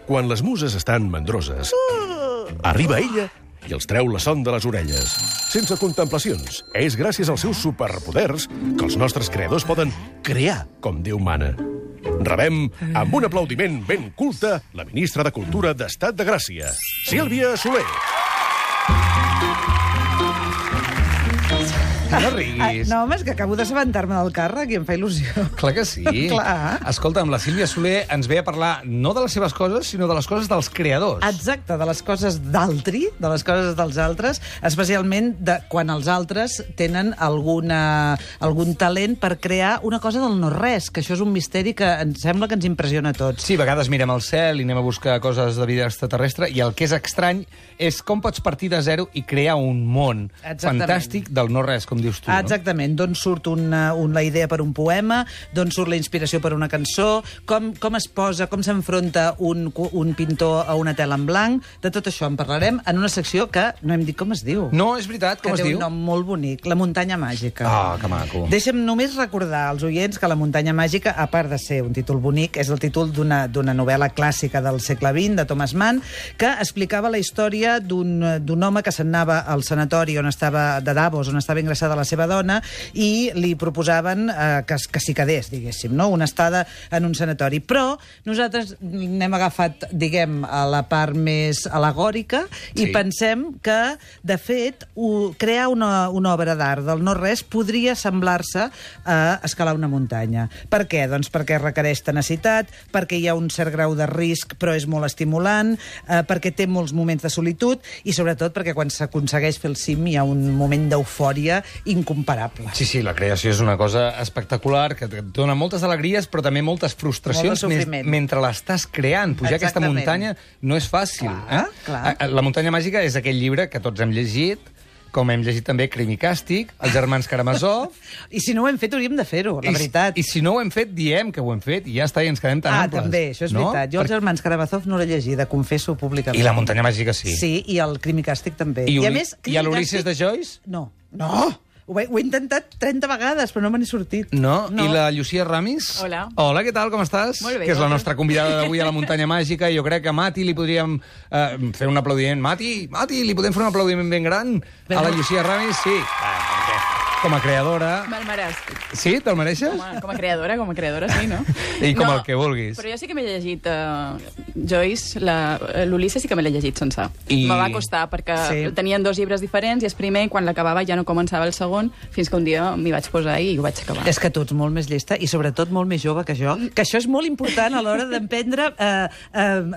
Quan les muses estan mandroses, arriba ella i els treu la son de les orelles. Sense contemplacions. És gràcies als seus superpoders que els nostres creadors poden crear com Déu mana. Rebem, amb un aplaudiment ben culte, la ministra de Cultura d'Estat de Gràcia, Sílvia Soler. No riguis. No, home, és que acabo d'assabentar-me del càrrec i em fa il·lusió. Clar que sí. Clar. Escolta'm, la Sílvia Soler ens ve a parlar no de les seves coses, sinó de les coses dels creadors. Exacte, de les coses d'altri, de les coses dels altres, especialment de quan els altres tenen algun talent per crear una cosa del no-res, que això és un misteri que em sembla que ens impressiona a tots. Sí, a vegades mirem al cel i anem a buscar coses de vida extraterrestre, i el que és estrany és com pots partir de zero i crear un món fantàstic del no-res, com dius tu, no? Exactament, d'on surt la idea per un poema, d'on surt la inspiració per una cançó, com es posa, com s'enfronta un pintor a una tela en blanc. De tot això en parlarem en una secció que no hem dit com es diu. No, és veritat, com es diu? Que té un nom molt bonic, La muntanya màgica. Ah, que maco. Deixa'm només recordar als oients que La muntanya màgica, a part de ser un títol bonic, és el títol d'una novel·la clàssica del segle XX, de Thomas Mann, que explicava la història d'un home que se'n anava al sanatori de Davos, on estava ingressada la seva dona, i li proposaven que s'hi quedés, diguéssim, no? Una estada en un sanatori. Però nosaltres n'hem agafat, diguem, a la part més alegòrica i pensem que, de fet, crear una obra d'art del no-res podria semblar-se a escalar una muntanya. Per què? Doncs perquè requereix tenacitat, perquè hi ha un cert grau de risc però és molt estimulant, perquè té molts moments de solitud i, sobretot, perquè quan s'aconsegueix fer el cim hi ha un moment d'eufòria incomparable. Sí, la creació és una cosa espectacular, que et dona moltes alegries, però també moltes frustracions mentre l'estàs creant. Pujar aquesta muntanya no és fàcil. Clar. La muntanya màgica és aquell llibre que tots hem llegit, com hem llegit també Crim i Càstig, Els germans Karamazov... I si no ho hem fet, hauríem de fer-ho, la veritat. I si no ho hem fet, diem que ho hem fet, i ja està, i ens quedem tan amples. També, això és veritat. Jo Els germans Karamazov no l'he llegida, confesso públicament. I La muntanya màgica sí. Sí, i el Crim i Càstig també. I a l'Ulisses de Joyce? No. Ho he intentat 30 vegades, però no me n'he sortit. No? I la Llucia Ramis? Hola. Hola, què tal, com estàs? Molt bé. Que és la nostra convidada d'avui a la muntanya màgica. Jo crec que a Mati li podríem fer un aplaudiment. Mati, li podem fer un aplaudiment ben gran a la Llucia Ramis? Sí. Com a creadora... Me'l mereix. Sí? Te'l mereixes? Com a creadora, sí, no? I com el que vulguis. Però jo sí que m'he llegit Joyce, l'Ulisses sí que me l'he llegit sencer. Me va costar, perquè tenien 2 llibres diferents i el primer, quan l'acabava, ja no començava el segon, fins que un dia m'hi vaig posar i ho vaig acabar. És que tu ets molt més llesta i sobretot molt més jove que jo, que això és molt important a l'hora d'emprendre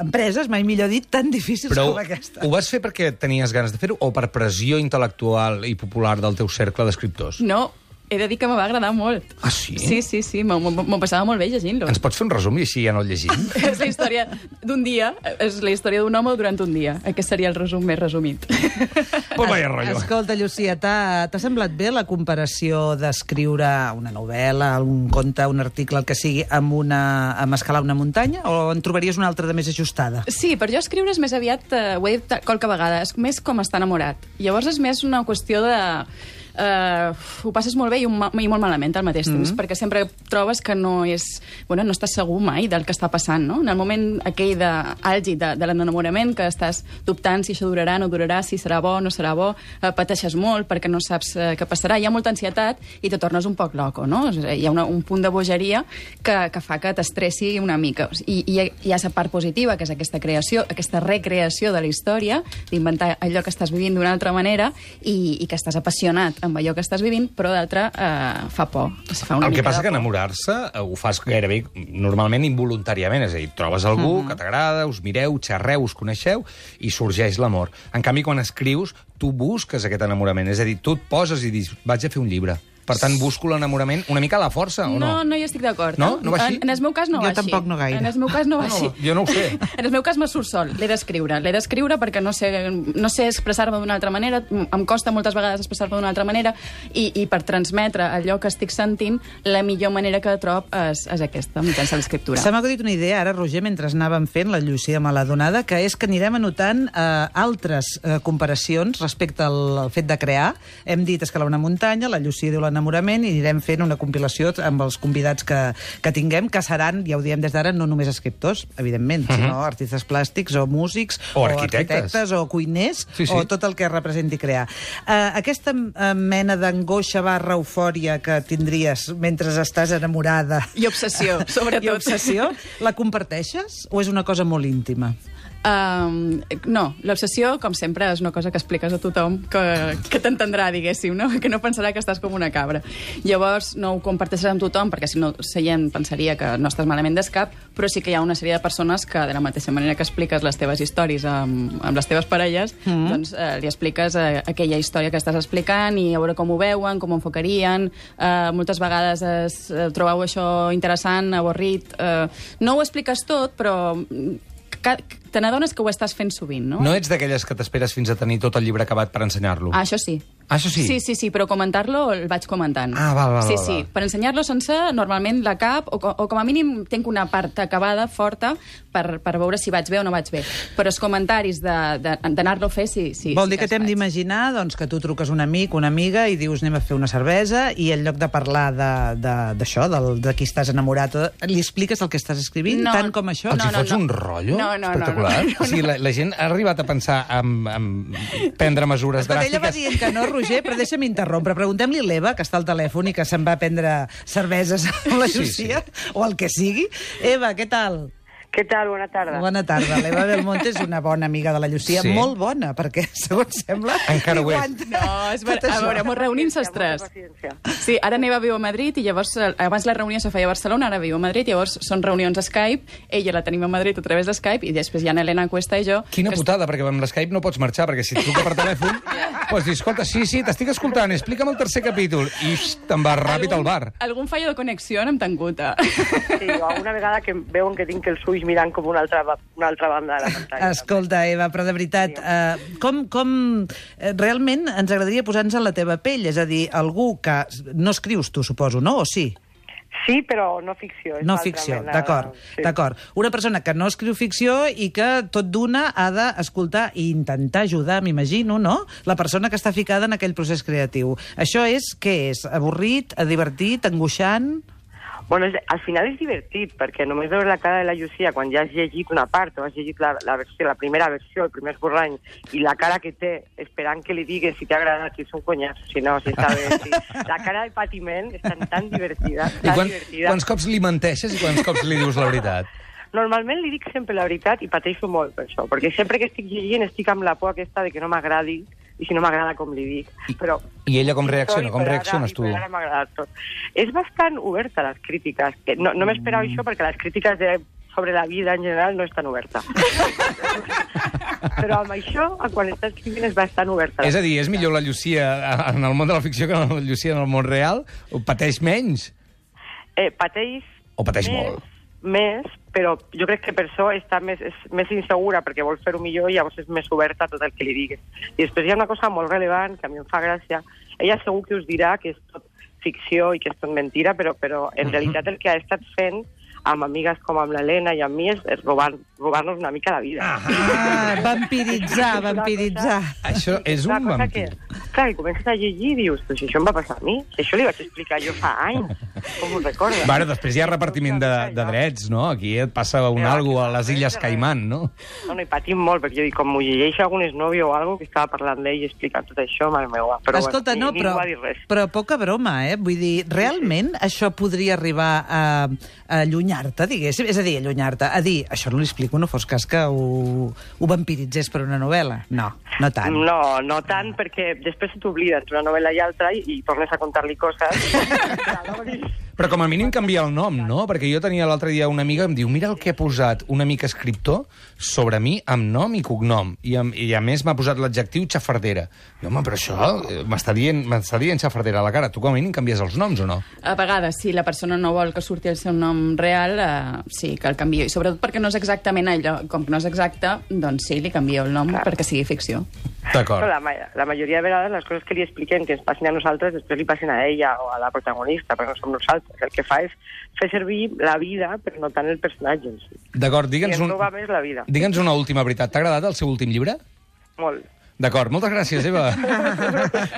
empreses, mai millor dit, tan difícils com aquesta. Ho vas fer perquè tenies ganes de fer-ho o per pressió intel·lectual i popular del teu cercle d'escriptors? No, he de dir que me va agradar molt. Ah, sí? Sí, m'ho passava molt bé llegint-lo. Ens pots fer un resum i així ja no el llegim? És la història d'un dia, és la història d'un home durant un dia. Aquest seria el resum més resumit. Pues vaya rotllo. Escolta, Llucia, t'ha semblat bé la comparació d'escriure una novel·la, un conte, un article, el que sigui, amb escalar una muntanya, o en trobaries una altra de més ajustada? Sí, per jo escriure és més aviat, ho he dit qualque vegada, és més com estar enamorat. Llavors és més una qüestió de... ho passes molt bé i molt malament al mateix temps, perquè sempre trobes que no estàs segur mai del que està passant, no? En el moment aquell àlgid de l'enamorament, que estàs dubtant si això durarà, no durarà, si serà bo, no serà bo, pateixes molt perquè no saps què passarà, hi ha molta ansietat i te tornes un poc loco, no? Hi ha un punt de bogeria que fa que t'estressi una mica. I hi ha la part positiva, que és aquesta creació, aquesta recreació de la història, d'inventar allò que estàs vivint d'una altra manera i que estàs apassionat amb allò que estàs vivint, però d'altre fa por. El que passa que enamorar-se ho fas gairebé normalment involuntàriament, és a dir, trobes algú que t'agrada, us mireu, xerreu, us coneixeu i sorgeix l'amor. En canvi, quan escrius, tu busques aquest enamorament, és a dir, tu et poses i dius, vaig a fer un llibre. Per tant, busco l'enamorament una mica a la força, o no? No hi estic d'acord. No? No va així? En el meu cas no va així. Jo tampoc no gaire. En el meu cas no va així. Jo no ho sé. En el meu cas me surt sol. L'he d'escriure. L'he d'escriure perquè no sé expressar-me d'una altra manera, em costa moltes vegades expressar-me d'una altra manera, i per transmetre allò que estic sentint, la millor manera que trob és aquesta, mitjançant l'escriptura. Se m'ha acudit una idea ara, Roger, mentre anàvem fent, la Llucia me l'ha donada, que és que anirem anotant altres comparacions respecte al fet de crear. Hem dit escalar una muntanya, la Llucia diu la l'enamorament i anirem fent una compilació amb els convidats que tinguem, que seran, ja ho diem des d'ara, no només escriptors, evidentment, sinó artistes plàstics o músics o arquitectes o cuiners, sí. o tot el que representi crear. Aquesta mena d'angoixa / eufòria que tindries mentre estàs enamorada... I obsessió, sobretot. I obsessió, la comparteixes o és una cosa molt íntima? No, l'obsessió, com sempre, és una cosa que expliques a tothom que t'entendrà, diguéssim, no? Que no pensarà que estàs com una cabra. Llavors, no ho comparteixes amb tothom, perquè si no, la gent pensaria que no estàs malament d'escap, però sí que hi ha una sèrie de persones que, de la mateixa manera que expliques les teves històries amb les teves parelles, doncs li expliques aquella història que estàs explicant i a veure com ho veuen, com ho enfocarien. Moltes vegades trobeu això interessant, avorrit. No ho expliques tot, però te n'adones que ho estàs fent sovint, no? No ets d'aquelles que t'esperes fins a tenir tot el llibre acabat per ensenyar-lo? Això sí. Això sí? Sí, però comentar-lo el vaig comentant. Val. Sí, per ensenyar-lo sencer, normalment la cap, o com a mínim tinc una part acabada, forta, per veure si vaig bé o no vaig bé. Però els comentaris d'anar-lo a fer, sí. Vol dir que t'hem d'imaginar doncs, que tu truques un amic, una amiga, i dius anem a fer una cervesa, i en lloc de parlar d'això, de qui estàs enamorat, li expliques el que estàs escrivint, tant com això? Els hi fots un rotllo? No. Espectacular. O sigui, la gent ha arribat a pensar en prendre mesures dràstiques. Ella va dient que no, Roger, però deixa'm interrompre. Preguntem-li a l'Eva, que està al telèfon i que se'n va prendre cerveses amb la Llucia, o el que sigui. Eva, què tal? Què tal? Bona tarda. Bona tarda. L'Eva Belmonte és una bona amiga de la Llucia, molt bona, perquè, segons sembla... Encara ho és. No, és a veure, ens reunim els tres. Sí, ara Neva viu a Madrid i llavors, abans la reunió se feia a Barcelona, ara viu a Madrid, llavors són reunions a Skype, ella la tenim a Madrid a través de Skype i després hi ha Helena Cuesta i jo... Quina putada, perquè amb l'Skype no pots marxar, perquè si et truca per telèfon, pots dir, escolta, sí, t'estic escoltant, explica'm el tercer capítol, i te'n vas ràpid al bar. Algun fallo de connexió hem tingut. Sí, o alguna vegada que veuen que tinc els ulls mirant com una altra banda de la pantalla. Escolta, Eva, però de veritat, realment ens agradaria posar-nos en la teva pell, és a dir, algú que no escrius tu, suposo, no? O sí? Sí, però no ficció. No ficció, d'acord. Una persona que no escriu ficció i que tot d'una ha d'escoltar i intentar ajudar, m'imagino, no? La persona que està ficada en aquell procés creatiu. Això és, què és? Avorrit, divertit, angoixant? Bueno, al final és divertit, perquè només veure la cara de la Llucia quan ja has llegit una part o has llegit la primera versió, el primer esborrany, i la cara que té esperant que li digues si t'ha agradat, si és un conyaç, si no, si està bé. Si... La cara de patiment és tan divertida. Quants cops li menteixes i quants cops li dius la veritat? Normalment li dic sempre la veritat i pateixo molt per això, perquè sempre que estic llegint estic amb la por aquesta de que no m'agradi i si no m'agrada com li dic. Però, I ella com reacciona? Com reacciones tu? Ara m'ha agradat tot. És bastant oberta a les crítiques. No m'esperava això perquè les crítiques sobre la vida en general no és tan oberta. Però amb això, quan estàs escrivint, és bastant oberta. És a dir, és millor la Llucia en el món de la ficció que la Llucia en el món real? O pateix menys? Pateix... O pateix molt? Més, però jo crec que per això està més insegura, perquè vol fer-ho millor i llavors és més oberta a tot el que li digues. I després hi ha una cosa molt rellevant, que a mi em fa gràcia. Ella segur que us dirà que és tot ficció i que és tot mentira, però en realitat el que ha estat fent amb amigues com amb l'Helena i amb mi és robar-nos una mica la vida. Vampiritzar. Això és un vampir. Clar, i comences a llegir i dius, però si això em va passar a mi, si això li vaig explicar jo fa anys, com ho recordes? Bueno, després hi ha repartiment de drets, no? Aquí et passa algo a les Illes Caimán, no? No, i patim molt, perquè jo dic, com m'ho llegeix algun esnòvio o algo que estava parlant d'ell i explicant tot això, mare meva. Però escolta, bueno, ningú va dir res. Però poca broma, Vull dir, realment això podria arribar a allunyar-te, diguéssim? És a dir, a dir, això no li explico, no fos cas que ho vampiritzés per una novel·la. No tant. No tant, perquè després se t'oblida entre una novel·la i altra i tornes a contar-li coses. Però com a mínim canvia el nom, no? Perquè jo tenia l'altre dia una amiga que em diu mira el que ha posat un amic escriptor sobre mi amb nom i cognom. I a més m'ha posat l'adjectiu xafardera. I home, però això m'està dient xafardera a la cara. Tu com a mínim canvies els noms o no? A vegades, si la persona no vol que surti el seu nom real, sí que el canvio. I sobretot perquè no és exactament allò. Com que no és exacte, doncs sí, li canvio el nom perquè sigui ficció. D'acord. La majoria de vegades les coses que li expliquem que ens passin a nosaltres després li passen a ella o a la protagonista, perquè no som nosaltres. El que fa és fer servir la vida, però no tant el personatge en si. D'acord, digue'ns una última veritat. T'ha agradat el seu últim llibre? Molt. D'acord, moltes gràcies, Eva.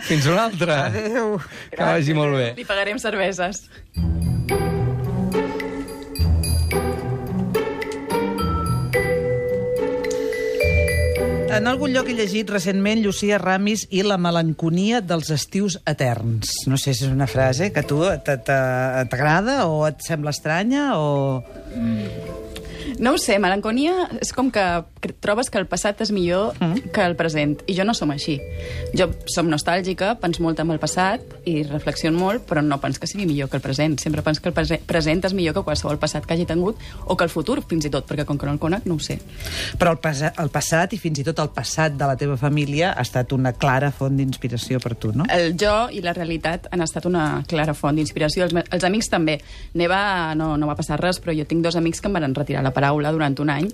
Fins una altra. Adéu. Que vagi molt bé. Li pagarem cerveses. En algun lloc he llegit recentment Llucia Ramis i la melanconia dels estius eterns. No sé si és una frase que a tu t'agrada o et sembla estranya o... No ho sé, melanconia és com que trobes que el passat és millor que el present, i jo no som així. Jo som nostàlgica, penso molt en el passat i reflexiono molt, però no penso que sigui millor que el present. Sempre penso que el present és millor que qualsevol passat que hagi tingut, o que el futur, fins i tot, perquè com que no el conec, no ho sé. Però el passat, i fins i tot el passat de la teva família, ha estat una clara font d'inspiració per tu, no? El jo i la realitat han estat una clara font d'inspiració. Els amics també. Neva no va passar res, però jo tinc 2 amics que em van retirar la paraula durant un any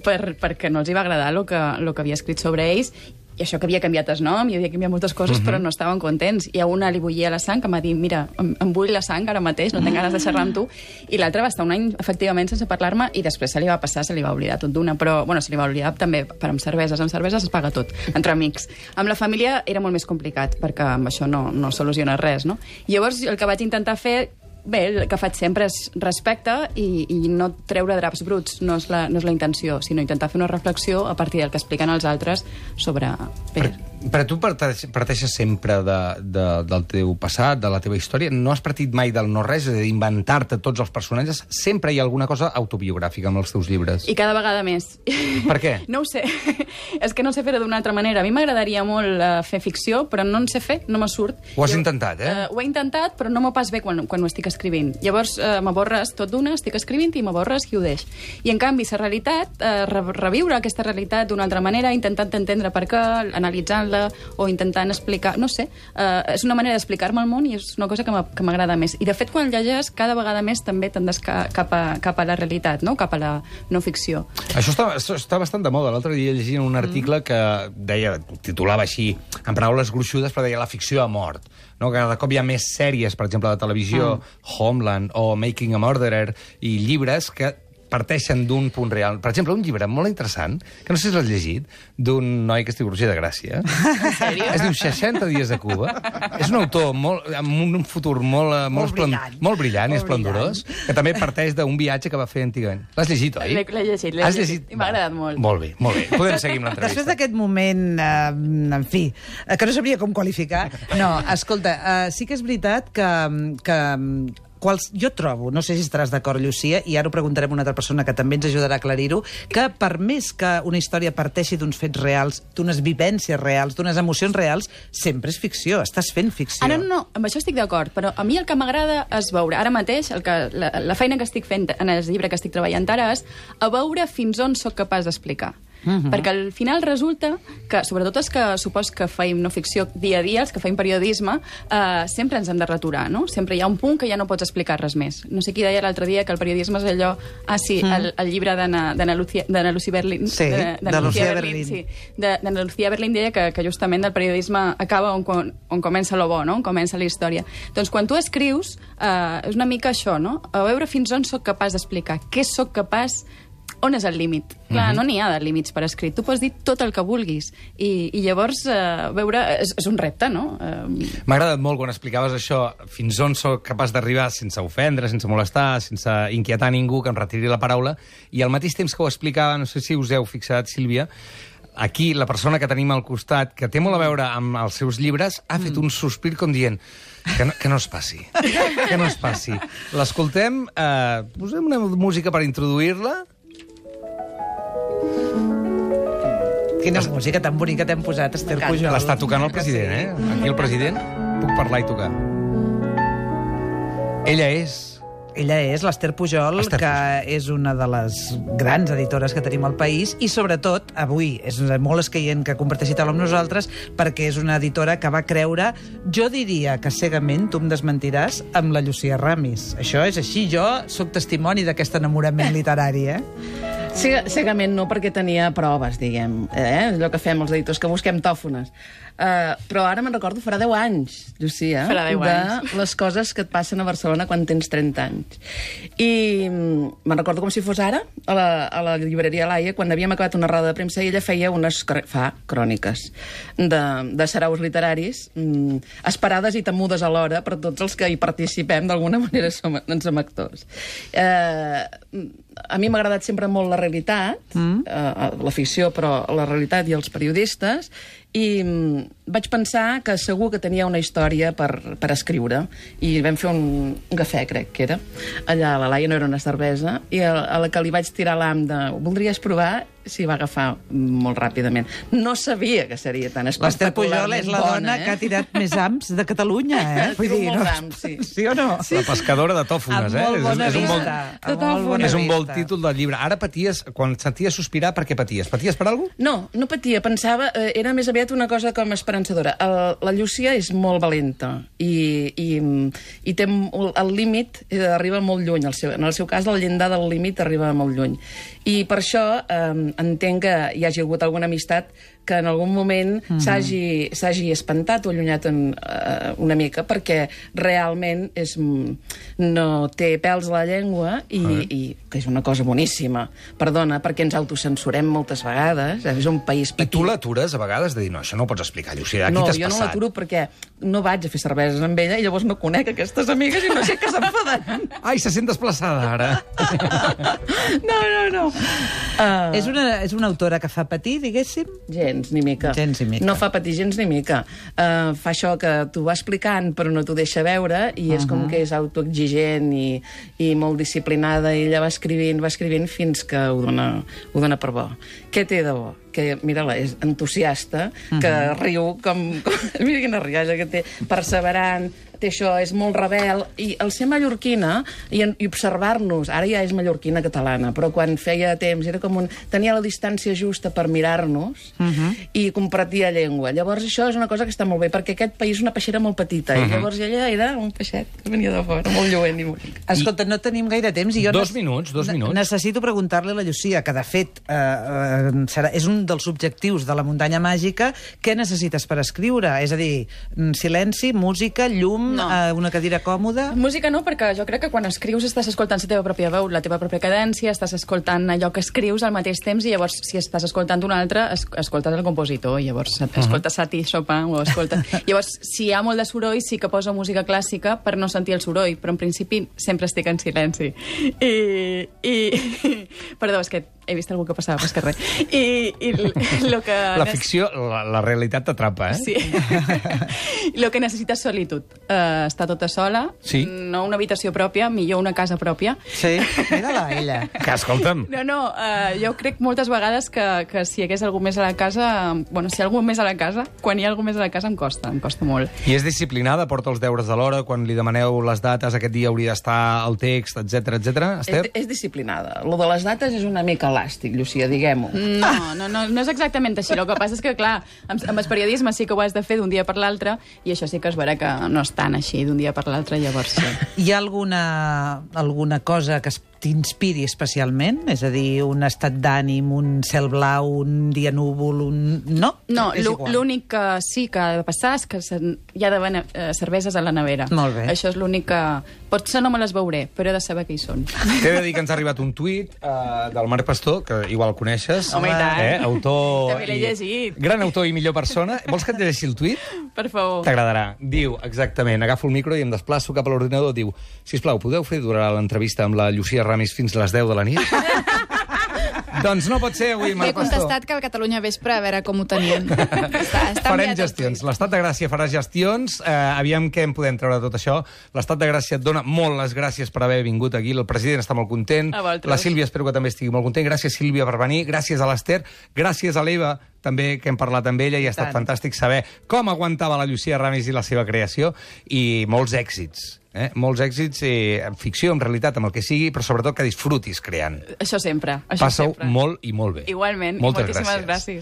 perquè no els hi va agradar el que havia escrit sobre ells, i això que havia canviat el nom, i havia canviat moltes coses, però no estaven contents. I a una li bullia la sang, que m'ha dit, mira, em bull la sang ara mateix, no tinc ganes de xerrar amb tu, i l'altre va estar un any, efectivament, sense parlar-me, i després se li va passar, se li va oblidar tot d'una, però, bueno, se li va oblidar també per amb cerveses es paga tot, entre amics. Amb la família era molt més complicat, perquè amb això no soluciona res, no? Llavors, el que vaig intentar fer, bé, el que faig sempre és respecte i no treure draps bruts, no és la intenció, sinó intentar fer una reflexió a partir del que expliquen els altres sobre... Però tu parteixes sempre del teu passat, de la teva història. No has partit mai del no-res, és a dir, inventar-te tots els personatges. Sempre hi ha alguna cosa autobiogràfica amb els teus llibres. I cada vegada més. Per què? No ho sé. És que no sé fer-ho d'una altra manera. A mi m'agradaria molt fer ficció, però no en sé fer, no me surt. Ho has intentat, eh? Ho he intentat, però no m'ho pas bé quan ho estic escrivint. Llavors m'aborres tot d'una, estic escrivint i m'aborres i ho deix. I en canvi, la realitat, reviure aquesta realitat d'una altra manera, intentant entendre per què, analitzant-la, o intentant explicar... No sé, és una manera d'explicar-me el món i és una cosa que m'agrada més. I, de fet, quan llegeix, cada vegada més també tendes cap a la realitat, no? Cap a la no ficció. Això està bastant de moda. L'altre dia llegia un article que deia, titulava així, en paraules gruixudes, però deia la ficció ha mort. No? Cada cop hi ha més sèries, per exemple, de televisió, Homeland o Making a Murderer, i llibres que parteixen d'un punt real. Per exemple, un llibre molt interessant, que no sé si l'has llegit, d'un noi que es diu Roger de Gràcia. En sèrio? Es diu 60 dies a Cuba. És un autor amb un futur molt brillant i esplendorós, que també parteix d'un viatge que va fer antigament. L'has llegit, oi? L'he llegit. I m'ha agradat molt. Molt bé, molt bé. Podem seguir amb l'entrevista. Després d'aquest moment, en fi, que no sabria com qualificar, no, escolta, sí que és veritat que jo trobo, no sé si estaràs d'acord, Llucia, i ara ho preguntarem a una altra persona que també ens ajudarà a aclarir-ho, que per més que una història parteixi d'uns fets reals, d'unes vivències reals, d'unes emocions reals, sempre és ficció, estàs fent ficció. No, amb això estic d'acord, però a mi el que m'agrada és veure, ara mateix, la feina que estic fent en el llibre que estic treballant ara és a veure fins on sóc capaç d'explicar. Perquè al final resulta que, sobretot els que supos que feim no ficció dia a dia, els que feim periodisme, sempre ens hem de retorar, no? Sempre hi ha un punt que ja no pots explicar res més. No sé qui deia l'altre dia que el periodisme és allò... el llibre d'Anna Lucía Berlín. Sí, de Lucía Berlín. Sí, d'Anna Lucía Berlín deia que justament el periodisme acaba on comença lo bo, no? On comença la història. Doncs quan tu escrius, és una mica això, no? A veure fins on sóc capaç d'explicar, què sóc capaç... On és el límit? Clar, no n'hi ha de límits per escrit. Tu pots dir tot el que vulguis. I llavors, veure... És un repte, no? M'ha agradat molt quan explicaves això, fins on sóc capaç d'arribar sense ofendre, sense molestar, sense inquietar ningú que em retiri la paraula, i al mateix temps que ho explicava, no sé si us heu fixat, Sílvia, aquí la persona que tenim al costat, que té molt a veure amb els seus llibres, ha fet un sospir com dient que no es passi, que no es passi. L'escoltem, posem una música per introduir-la. Quina música tan bonica t'hem posat, Esther Pujol. L'està tocant el president, eh? Aquí el president, puc parlar i tocar. Ella és l'Esther Pujol, que és una de les grans editores que tenim al país, i sobretot, avui, és molt escaient que comparteixi taula amb nosaltres, perquè és una editora que va creure, jo diria que cegament, tu em desmentiràs, amb la Llucia Ramis. Això és així, jo sóc testimoni d'aquest enamorament literari, eh? Cegament no, perquè tenia proves, diguem. Allò que fem els editors, que busquem tòfones. Però ara me'n recordo, farà 10 anys, Llucia, Farà 10 anys. de les coses que et passen a Barcelona quan tens 30 anys. I me'n recordo com si fos ara, a la llibreria Laia, quan havíem acabat una roda de premsa, i ella feia fa cròniques de saraus literaris, esperades i temudes alhora per tots els que hi participem, d'alguna manera en som actors. A mi m'ha agradat sempre molt la realitat, la ficció, però la realitat i els periodistes, i vaig pensar que segur que tenia una història per escriure, i vam fer un cafè, crec que era, allà a la Laia, no era una cervesa, i a la que li vaig tirar l'am de voldries provar, s'hi va agafar molt ràpidament. No sabia que seria tan L'Ester Pujol és espectacularment la bona, dona que ha tirat més ams de Catalunya, Vull dir, molts ams, sí. Sí o no? La pescadora de tòfones, Amb molt bona és un bon... vista. Amb molt bona És un bon vista. títol del llibre. Ara paties, quan et senties sospirar, per què paties? Paties per alguna cosa? No, no patia, pensava, era més aviat una cosa com esperançadora. La Llucia és molt valenta i té el límit, arriba molt lluny. En el seu cas, el llindar del límit arriba molt lluny. I per això entenc que hi hagi hagut alguna amistat que en algun moment s'hagi espantat o allunyat una mica, perquè realment no té pèls a la llengua i que és una cosa boníssima. Perdona, perquè ens autocensurem moltes vegades, és un país petit. I tu l'atures a vegades de dir, no, això no ho pots explicar, Llucia, aquí t'has passat. No, jo no l'aturo perquè no vaig a fer cerveses amb ella i llavors no conec aquestes amigues i no sé què s'enfadaran. Ai, se sent desplaçada, ara. No. És una autora que fa patir, diguéssim? Gens, ni mica. Gens ni mica. No fa patir gens ni mica. Fa això que t'ho va explicant però no t'ho deixa veure i és com que és autoexigent i molt disciplinada i ella va escrivint fins que ho dona per bo. Què té de bo? Que, mira-la, és entusiasta, que riu com... Mira quina rialla que té, perseverant, té això, és molt rebel, i el ser mallorquina i observar-nos, ara ja és mallorquina catalana, però quan feia temps era com tenia la distància justa per mirar-nos i compartia llengua. Llavors això és una cosa que està molt bé, perquè aquest país és una peixera molt petita, i llavors ella era un peixet que venia de fora, molt lluent i bonic. Escolta, no tenim gaire temps i jo... Dos minuts. Necessito preguntar-li a la Llucia, que de fet és un dels objectius de la muntanya màgica. Què necessites per escriure? És a dir, silenci, música, llum, No. Una cadira còmoda... Música no, perquè jo crec que quan escrius estàs escoltant la teva pròpia veu, la teva pròpia cadència, estàs escoltant allò que escrius al mateix temps i llavors, si estàs escoltant un altre, escoltes el compositor, i llavors escoltes Satie Chopin o escoltes... Llavors, si hi ha molt de soroll, sí que poso música clàssica per no sentir el soroll, però en principi sempre estic en silenci. Perdó, és que he vist algú que passava, però és que res. I lo que... La ficció, la realitat t'atrapa, Sí. Lo que necessita és solitud. Estar tota sola, Sí. no una habitació pròpia, millor una casa pròpia. Sí, mira-la, ella. Que, escolta'm, No, jo crec moltes vegades que si hi hagués algú més a la casa... Bueno, si hi ha algú més a la casa, quan hi ha algú més a la casa em costa molt. i és disciplinada, porta els deures de l'hora, quan li demaneu les dates, aquest dia hauria d'estar el text, etc. Esther? És disciplinada. Lo de les dates és una mica elàstic, Llucia, diguem-ho. No és exactament així. El que passa és que, clar, amb el periodisme sí que ho has de fer d'un dia per l'altre i això sí que es veurà que no és tan així d'un dia per l'altre, llavors sí. Hi ha alguna cosa que t'inspiri especialment? És a dir, un estat d'ànim, un cel blau, un dia núvol, No? No, És igual. l'únic que sí que ha de passar és que hi ha d'haver cerveses a la nevera. Molt bé. Això és l'únic que... Potser no me les veuré, però he de saber que hi són. T'he de dir que ens ha arribat un tuit del Marc Pastor, que igual coneixes. Home, i tant. Autor... També l'he llegit. Gran autor i millor persona. Vols que et llegeixi el tuit? Per favor. T'agradarà. Diu, exactament, agafo el micro i em desplaço cap a l'ordinador. Diu, sisplau, podeu fer durar l'entrevista amb la Llucia Ramis fins a les 10 de la nit? Doncs no pot ser avui, He Marc Pastor. contestat que al Catalunya Vespre a veure com ho tenien. Està Farem enviat el gestions. tuit. L'Estat de Gràcia farà gestions. Aviam què en podem treure de tot això. L'Estat de Gràcia et dona molt les gràcies per haver vingut aquí. El president està molt content. A vosaltres. La Sílvia espero que també estigui molt content. Gràcies, Sílvia, per venir. Gràcies a l'Ester. Gràcies a l'Eva, també, que hem parlat amb ella i ha estat fantàstic saber com aguantava la Llucia Ramis i la seva creació. I molts èxits. Molts èxits en ficció, en realitat, amb el que sigui, però sobretot que disfrutis creant. Això sempre. Passa-ho molt i molt bé. Igualment. Moltes Moltíssimes gràcies. gràcies.